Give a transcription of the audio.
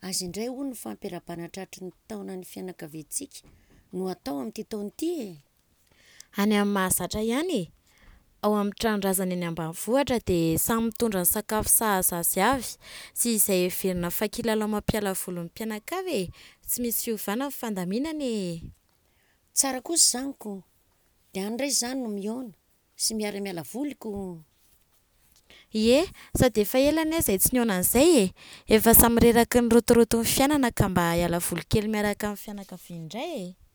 Aiza indray hono ny fampiarahabana tratry ny taona ny fianakaviantsika no hatao amin'ity taona ity e? Any amin'ny mahazatra ihany e! Ao amin'ny tranon-drazana eny ambanivohitra dia samy mitondra ny sakafo sahaza azy avy sy izay heverina fa kilalao mampiala voly ny mpianakavy e! Tsy misy fiovana ny fandaminana e! Tsara kosa izany ko! Dia any indray izany no mihaona sy miara-miala voly ko! Ie, sady efa ela anie izay tsy nihaona an'izay e! Efa samy reraky ny rotoroton'ny fiainana ka mba hiala voly kely miaraka amin'ny fianakaviana indray e!